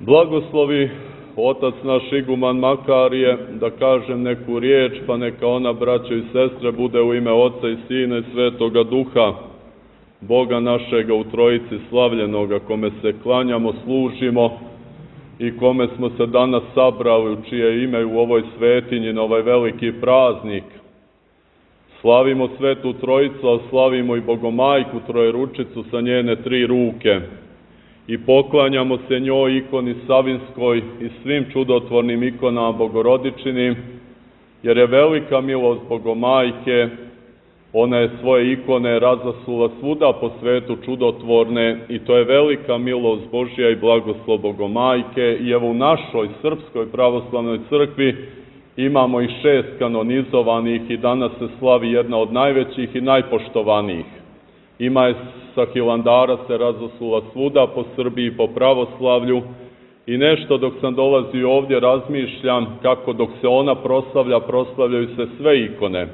Blagoslovi otac naš iguman Makarije, da kažem neku riječ, pa neka ona, braćo i sestre, bude u ime Oca i Sina i Svetoga Duha, Boga našega u Trojici slavljenoga, kome se klanjamo, služimo i kome smo se danas sabrali, u čije ime u ovoj svetinji na ovaj veliki praznik. Slavimo Svetu Trojicu, a slavimo i Bogomajku Trojeručicu sa njene 3 ruke. I poklanjamo se njoj, ikoni Savinskoj i svim čudotvornim ikonama Bogorodičinim, jer je velika milost Bogomajke. Ona je svoje ikone razasula svuda po svetu čudotvorne i to je velika milost Božja i blagoslov Bogomajke. I evo u našoj Srpskoj pravoslavnoj crkvi imamo i 6 kanonizovanih i danas se slavi jedna od najvećih i najpoštovanijih. Ima je sa Hilandara se razasula svuda po Srbiji, po pravoslavlju i nešto dok sam dolazio ovdje razmišljam kako dok se ona proslavlja, proslavljaju se sve ikone.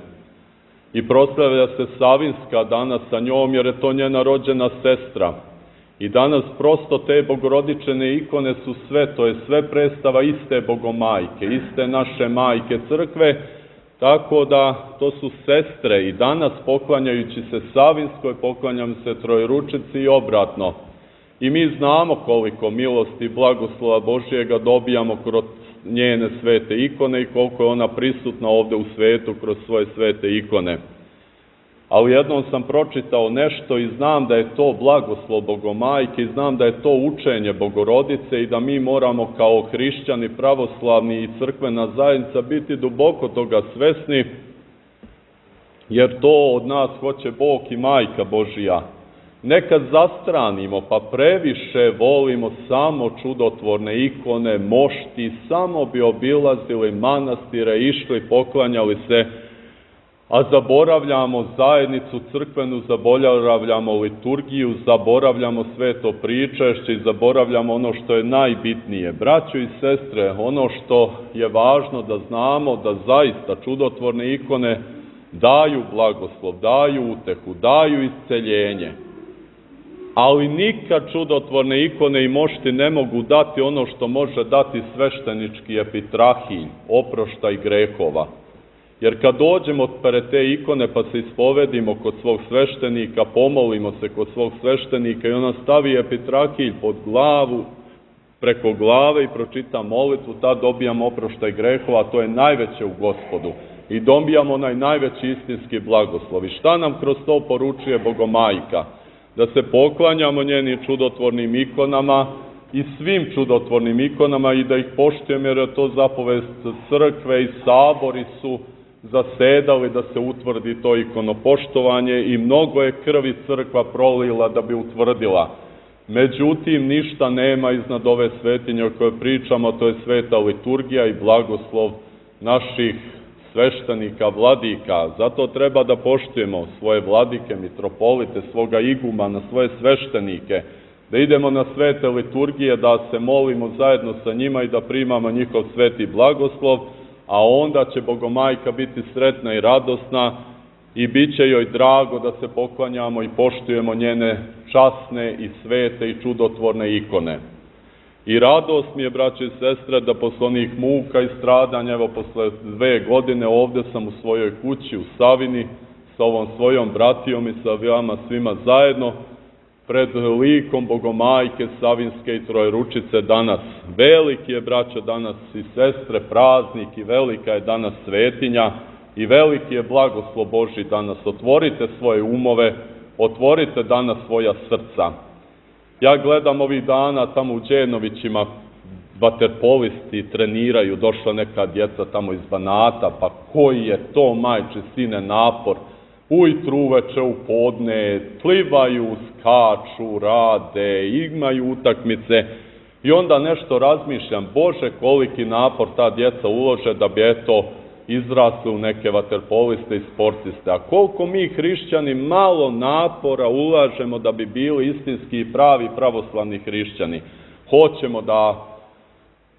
I proslavlja se Savinska danas sa njom jer je to njena rođena sestra. I danas prosto te Bogorodičene ikone su sve, to je sve predstava iste Bogomajke, iste naše majke crkve, tako da to su sestre i danas poklanjajući se Savinskoj, poklanjam se Trojeručici i obratno. I mi znamo koliko milosti i blagoslova Božjega dobijamo kroz njene svete ikone i koliko je ona prisutna ovdje u svetu kroz svoje svete ikone. Ali jednom sam pročitao nešto i znam da je to blagoslov Bogomajke i znam da je to učenje Bogorodice i da mi moramo kao hrišćani, pravoslavni i crkvena zajednica biti duboko toga svesni, jer to od nas hoće Bog i Majka Božija. Nekad zastranimo, pa previše volimo samo čudotvorne ikone, mošti, samo bi obilazili manastire, išli, poklanjali se, a zaboravljamo zajednicu crkvenu, zaboravljamo liturgiju, zaboravljamo sveto pričešće i zaboravljamo ono što je najbitnije. Braćo i sestre, ono što je važno da znamo, da zaista čudotvorne ikone daju blagoslov, daju utehu, daju isceljenje. Ali nikad čudotvorne ikone i mošti ne mogu dati ono što može dati sveštenički epitrahilj, oproštaj grehova. Jer kad dođemo pred te ikone pa se ispovedimo kod svog sveštenika, pomolimo se kod svog sveštenika i ona stavi epitrahilj pod glavu, preko glave i pročita molitvu, tad dobijamo oproštaj grehova, a to je najveće u Gospodu. I dobijamo onaj najveći istinski blagoslov. I šta nam kroz to poručuje Bogomajka? Da se poklanjamo njenim čudotvornim ikonama i svim čudotvornim ikonama i da ih poštujemo jer je to zapovest crkve i sabori su zasedali da se utvrdi to ikonopoštovanje i mnogo je krvi crkva prolila da bi utvrdila. Međutim, ništa nema iznad ove svetinje o kojoj pričamo, to je sveta liturgija i blagoslov naših sveštenika, vladika. Zato treba da poštujemo svoje vladike, mitropolite, svoga igumana, svoje sveštenike, da idemo na svete liturgije, da se molimo zajedno sa njima i da primamo njihov sveti blagoslov, a onda će Bogomajka biti sretna i radosna i bit će joj drago da se poklanjamo i poštujemo njene časne i svete i čudotvorne ikone. I radost mi je, braće i sestre, da posle onih muka i stradanja, evo posle 2 godine ovdje sam u svojoj kući u Savini sa ovom svojom bratijom i sa vama svima zajedno pred likom Bogomajke Savinske i Trojeručice danas. Veliki je, braćo, danas i sestre praznik i velika je danas svetinja i veliki je blagoslov Božji danas. Otvorite svoje umove, otvorite danas svoja srca. Ja gledam ovih dana tamo u Đenovićima, vaterpolisti treniraju, došla neka djeca tamo iz Banata, pa koji je to, majče, sine, napor. Ujutru, uveče, u podne, plivaju, skaču, rade, imaju utakmice i onda nešto razmišljam, Bože, koliki napor ta djeca ulože da bi, eto, izrasli u neke vaterpoliste i sportiste. A koliko mi hrišćani malo napora ulažemo da bi bili istinski i pravi pravoslavni hrišćani. Hoćemo da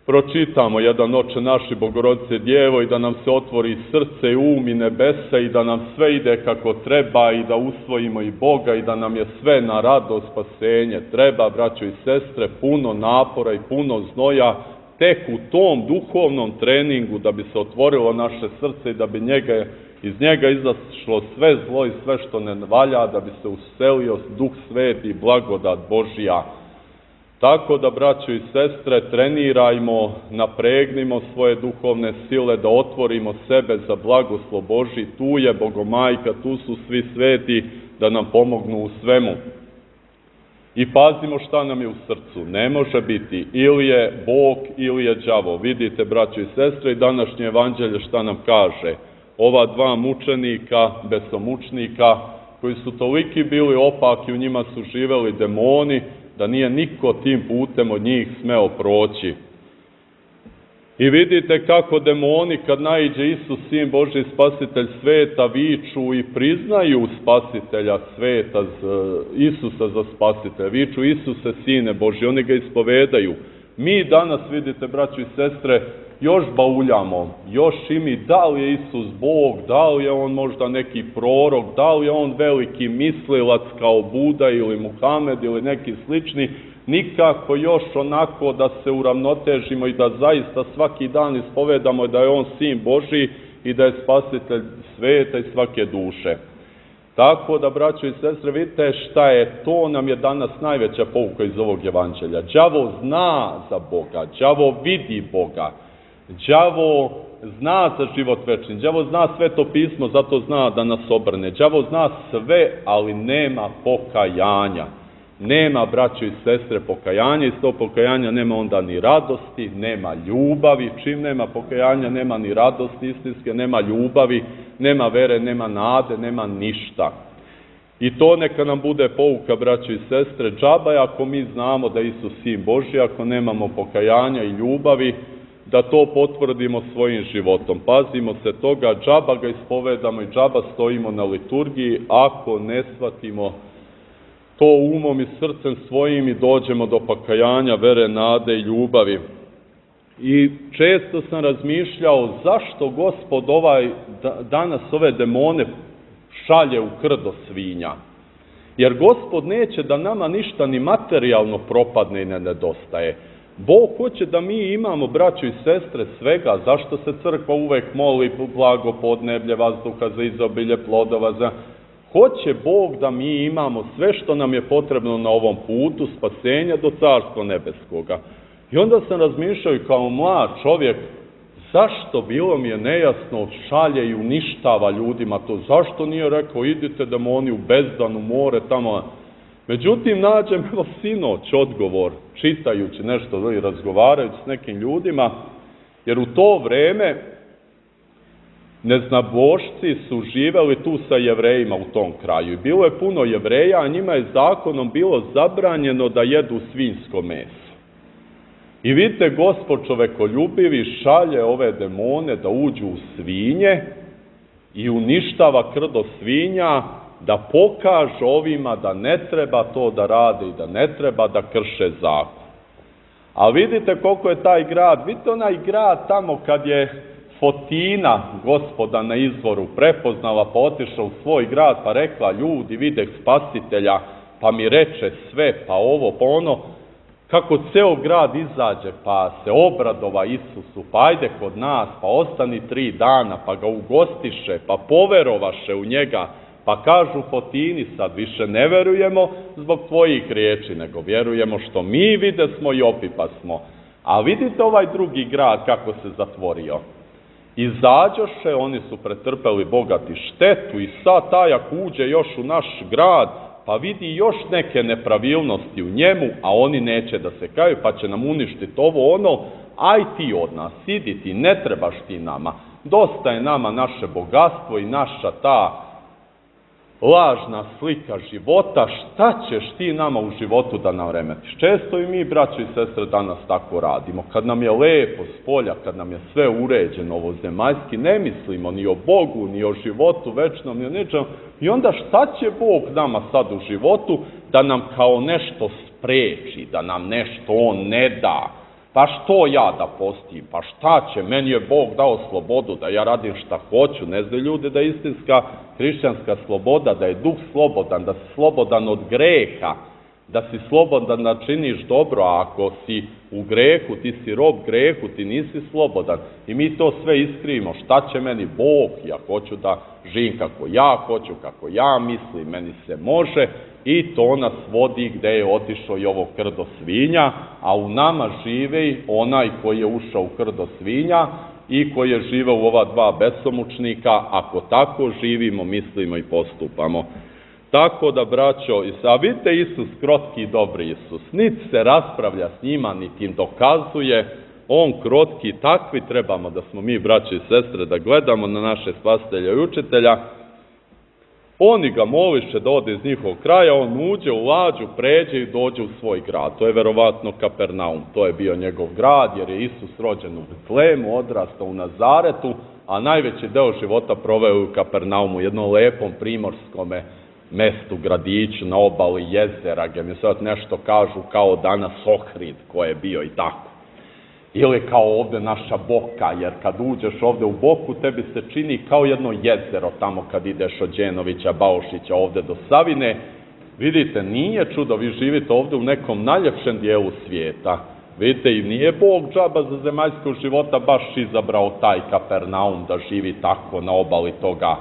pročitamo jedan Oče naš i Bogorodice Djevo i da nam se otvori srce, um i nebesa i da nam sve ide kako treba i da usvojimo i Boga i da nam je sve na radost, spasenje. Treba, braćo i sestre, puno napora i puno znoja tek u tom duhovnom treningu da bi se otvorilo naše srce i da bi iz njega izašlo sve zlo i sve što ne valja, da bi se uselio Duh Sveti i blagodat Božja. Tako da, braćo i sestre, trenirajmo, napregnimo svoje duhovne sile, da otvorimo sebe za blagoslov Božji. Tu je Bogomajka, tu su svi sveti da nam pomognu u svemu. I pazimo šta nam je u srcu. Ne može biti ili je Bog ili je đavo. Vidite, braćo i sestre, i današnje evanđelje šta nam kaže. Ova dva mučenika, besomučnika, koji su toliki bili opaki, u njima su živeli demoni, da nije niko tim putem od njih smeo proći. I vidite kako demoni, kad naiđe Isus, Sin Božji, Spasitelj sveta, viču i priznaju Spasitelja sveta, Isusa za Spasitelja, viču Isuse, Sine Božji, oni ga ispovedaju. Mi danas, vidite, braćo i sestre, još bauljamo, još i mi, da li je Isus Bog, da li je on možda neki prorok, da li je on veliki mislilac kao Buda ili Muhamed ili neki slični, nikako još onako da se uravnotežimo i da zaista svaki dan ispovedamo da je on Sin Božji i da je Spasitelj sveta i svake duše. Tako da, braćo i sestre, vidite šta je, to nam je danas najveća pouka iz ovog evanđelja. Đavo zna za Boga, đavo vidi Boga, đavo zna za život večni, đavo zna Sveto pismo, zato zna da nas obrne. Đavo zna sve, ali nema pokajanja. Nema, braćo i sestre, pokajanja, iz tog pokajanja nema onda ni radosti, nema ljubavi. Čim nema pokajanja, nema ni radosti istinske, nema ljubavi, nema vere, nema nade, nema ništa. I to neka nam bude pouka, braćo i sestre, džaba je ako mi znamo da je Isus Sin Božji, ako nemamo pokajanja i ljubavi, da to potvrdimo svojim životom. Pazimo se toga, džaba ga ispovedamo i džaba stojimo na liturgiji, ako ne shvatimo to umom i srcem svojim i dođemo do pokajanja, vere, nade i ljubavi. I često sam razmišljao zašto Gospod danas ove demone šalje u krdo svinja. Jer Gospod neće da nama ništa ni materijalno propadne i ne nedostaje. Bog hoće da mi imamo, braćo i sestre, svega. Zašto se crkva uvek moli blago podneblje, vazduha za izobilje plodova, Hoće Bog da mi imamo sve što nam je potrebno na ovom putu spasenja do Carstva nebeskoga. I onda sam razmišljao i kao mlad čovjek, zašto bilo mi je nejasno, šalje i uništava ljudima to, zašto nije rekao idite demoni u bezdanu more tamo. Međutim, nađem sinoć odgovor, čitajući nešto i razgovarajući s nekim ljudima, jer u to vreme neznabošci su živeli tu sa Jevrejima u tom kraju. I bilo je puno Jevreja, a njima je zakonom bilo zabranjeno da jedu svinjsko meso. I vidite, Gospod čovekoljubivi šalje ove demone da uđu u svinje i uništava krdo svinja, da pokaže ovima da ne treba to da rade i da ne treba da krše zakon. A vidite koliko je taj grad, vidite onaj grad tamo kad je Fotina Gospoda na izvoru prepoznala, pa otišla u svoj grad, pa rekla ljudi vide Spasitelja, pa mi reče sve, pa ovo, pa ono, kako ceo grad izađe, pa se obradova Isusu, pa ajde kod nas, pa ostani 3 dana, pa ga ugostiše, pa poverovaše u njega, pa kažu Fotini sad više ne verujemo zbog tvojih riječi, nego vjerujemo što mi videsmo i opipasmo. A vidite ovaj drugi grad kako se zatvorio. Izađoše, oni su pretrpeli bogati štetu i sad taj ako uđe još u naš grad, pa vidi još neke nepravilnosti u njemu, a oni neće da se kaju, pa će nam uništiti ovo ono, aj ti od nas, idi ti, ne trebaš ti nama, dosta je nama naše bogatstvo i naša ta lažna slika života, šta ćeš ti nama u životu da nam remetiš? Često i mi, braćo i sestre, danas tako radimo. Kad nam je lepo s polja, kad nam je sve uređeno ovozemaljski, ne mislimo ni o Bogu, ni o životu večnom, ni o ničem. I onda šta će Bog nama sad u životu da nam kao nešto spreči, da nam nešto On ne da, Pa što ja da postim? Pa šta će? Meni je Bog dao slobodu da ja radim šta hoću. Ne znaju ljudi da je istinska hrišćanska sloboda, da je duh slobodan, da si slobodan od greha, da si slobodan da činiš dobro, a ako si u grehu, ti si rob grehu, ti nisi slobodan. I mi to sve iskrivimo. Šta će meni Bog? Ja hoću da živim kako ja hoću, kako ja mislim, meni se može. I to nas vodi gde je otišao i ovo krdo svinja, a u nama živi onaj koji je ušao u krdo svinja i koji je živeo u ova dva besomučnika. Ako tako živimo, mislimo i postupamo. Tako da, braćo, a vidite Isus, krotki i dobri Isus, niti se raspravlja s njima, niti im dokazuje, on krotki, takvi trebamo da smo mi, braće i sestre, da gledamo na naše spasitelja i učitelja. Oni ga moliše da ode iz njihovog kraja, on uđe u lađu, pređe i dođe u svoj grad. To je verovatno Kapernaum, to je bio njegov grad, jer je Isus rođen u Betlehemu, odrastao u Nazaretu, a najveći deo života proveo u Kapernaumu, jednom lepom primorskome mestu, gradiću, na obali jezera, gdje mi sad nešto kažu kao danas Ohrid koji je bio i tako. Ili kao ovde naša Boka, jer kad uđeš ovde u Boku, tebi se čini kao jedno jezero tamo kad ideš od Đenovića, Baušića, ovde do Savine. Vidite, nije čudo, vi živite ovde u nekom najljepšem dijelu svijeta. Vidite, i nije Bog džaba za zemaljskog života baš izabrao taj Kapernaum da živi tako na obali toga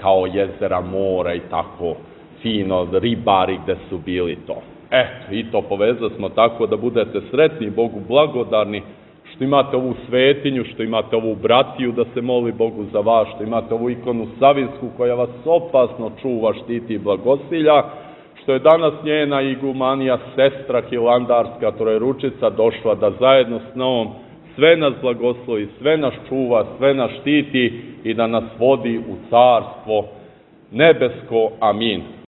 kao jezera, mora i tako fino, ribari gde su bili to. Eto, i to povezali smo tako da budete sretni, Bogu blagodarni, što imate ovu svetinju, što imate ovu bratiju da se moli Bogu za vas, što imate ovu ikonu Savinsku koja vas opasno čuva, štiti i blagosilja, što je danas njena igumanija, sestra hilandarska, Trojeručica, došla da zajedno s njom sve nas blagoslovi, sve nas čuva, sve nas štiti i da nas vodi u carstvo nebesko. Amin.